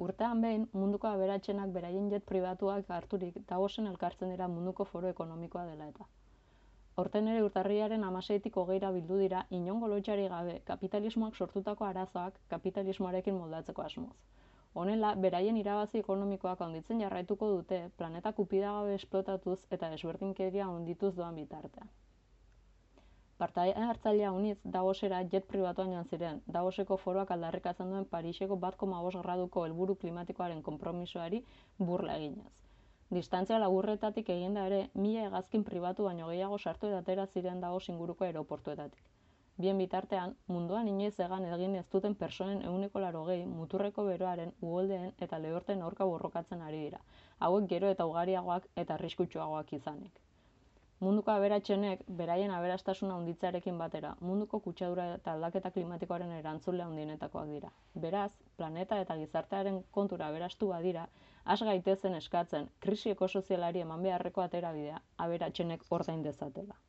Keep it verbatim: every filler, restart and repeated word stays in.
Urtean behin, munduko aberatsenak beraien jet pribatuak harturik Davosen elkartzen dira munduko foro ekonomikoa dela eta. Aurten ere urtarrilaren hamaseitik hogeira bildu dira inongo lotsarik gabe kapitalismoak sortutako arazoak kapitalismoarekin moldatzeko asmoz. Honela, beraien irabazi ekonomikoak handitzen jarraituko dute planeta kupidagabe esplotatuz eta desberdinkeria handituz doan bitartean. Parte hartzailea unitz Davosera jet pribatuan joan ziren, Davoseko foroak aldarrikatzen duen Pariseko bat koma bost graduko helburu klimatikoaren konpromisoari burla eginez. Distantzia laburretatik eginda ere, mila hegazkin pribatu baino gehiago sartu eta atera ziren Davos inguruko aeroportuetatik. Bien bitartean, munduan inoiz egan egin ez duten pertsonen ehuneko laurogei muturreko beroaren, uholdeen eta lehorten aurka borrokatzen ari dira, hauek gero eta ugariagoak eta arriskutsuagoak izanik. Munduko aberatsenek beraien aberastasuna handitzearekin batera, munduko kutsadura eta aldaketa klimatikoaren erantzule handienetakoak dira. Beraz, planeta eta gizartearen kontura aberastu badira, has gaitezen eskatzen krisi ekosozialari eman beharreko aterabidea aberatsenek ordain dezatela.